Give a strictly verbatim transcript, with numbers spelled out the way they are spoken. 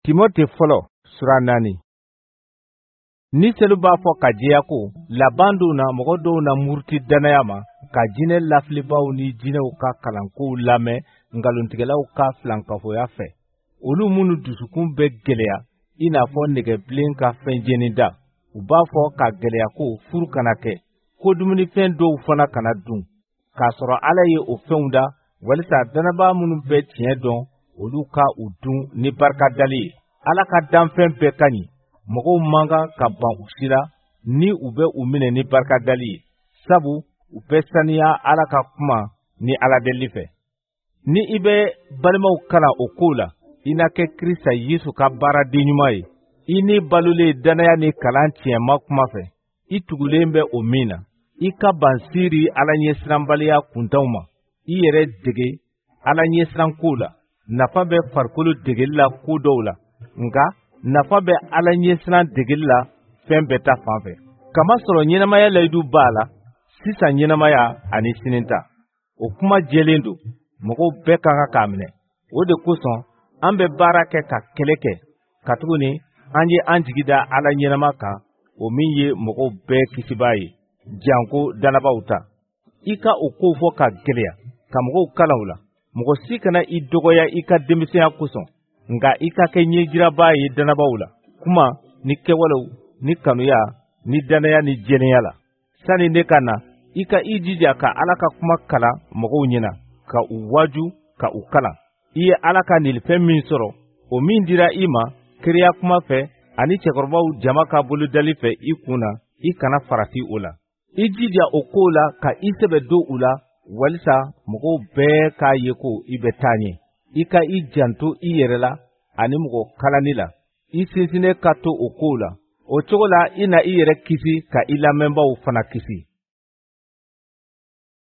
Timote fɔlɔ sura naani. Ni selu b'a fɔ ka jɛya ko laban dɔw na, mɔgɔ dɔw na muruti dannaya ma ka jinɛ lafilibaw ni jinɛw ka kalankow lamɛn nkalontigɛlaw ka filankafoya fɛ, olu minnu dusukun bɛ gɛlɛya i n'a fɔ nɛgɛbilen ka fɛn jeni da. U b'a fɔ ka gɛlɛya ko furu kana kɛ, ko dumunifɛn dɔw fana kana dun, k'a sɔrɔ Ala ye o fɛnw da walisa dannabaa minnu bɛ tiɲɛ dɔn, olu ka u dun ni barika dali ye. Ala ka danfɛn bɛɛ ka ɲi, mɔgɔw man kan ka ban u si la ni u bɛ u minɛ ni barika dali ye, sabu u bɛ saniya Ala ka kuma ni Ala deli fɛ. Ni i bɛ balimaw kalan o kow la, i na kɛ Krista Yesu ka baaraden ɲuman ye. I ni balolen dannaya ni kalan tiɲɛma kuma fɛ, i tugulen bɛ o min na. I ka ban siiri Ala ɲɛsiranbaliya kuntanw ma. I yɛrɛ dege Ala ɲɛsirankow la. Nafa bɛ farikolo degeli la ko dɔw la, nka nafa bɛ Ala ɲɛsiran degeli la fɛn bɛɛ ta fan fɛ. Kamasɔrɔ ɲɛnamaya layidu b'a la, sisan ɲɛnamaya ani sini ta. O kuma jɛlen don, mɔgɔw bɛɛ ka kan k'a minɛ. O de kosɔn an bɛ baara kɛ ka kɛlɛ kɛ, katuguni an ye an jigi da Ala ɲɛnama kan, o min ye mɔgɔw bɛɛ kisibaa ye, janko dannabaw ta. I ka o kow fɔ ka gɛlɛya, ka mɔgɔw kalan u la. Mɔgɔ si kana i dɔgɔya i ka denmisɛnya kosɔn, nka i ka kɛ ɲɛjirabaa ye dannabaw la, kuma ni kɛwalew ni kanuya ni dannaya ni jɛlenya la. Sani ne ka na, i ka i jija ka Ala ka kuma kalan mɔgɔw ɲɛna, ka u waaju, ka u kalan. I ye Ala ka nilifɛn min sɔrɔ, o min dira i ma kiriya kuma fɛ ani cɛkɔrɔbaw jama ka bolodali fɛ i kun na, i kana farati o la. I jija o kow la ka i sɛbɛ don u la, walisa mɔgɔw bɛɛ k'a ye ko i bɛ taa ɲɛ. I ka i janto i yɛrɛ la ani mɔgɔ kalanni la. I sinsinnen ka to o kow la. O cogo la i na i yɛrɛ kisi ka i lamɛnbaaw fana kisi.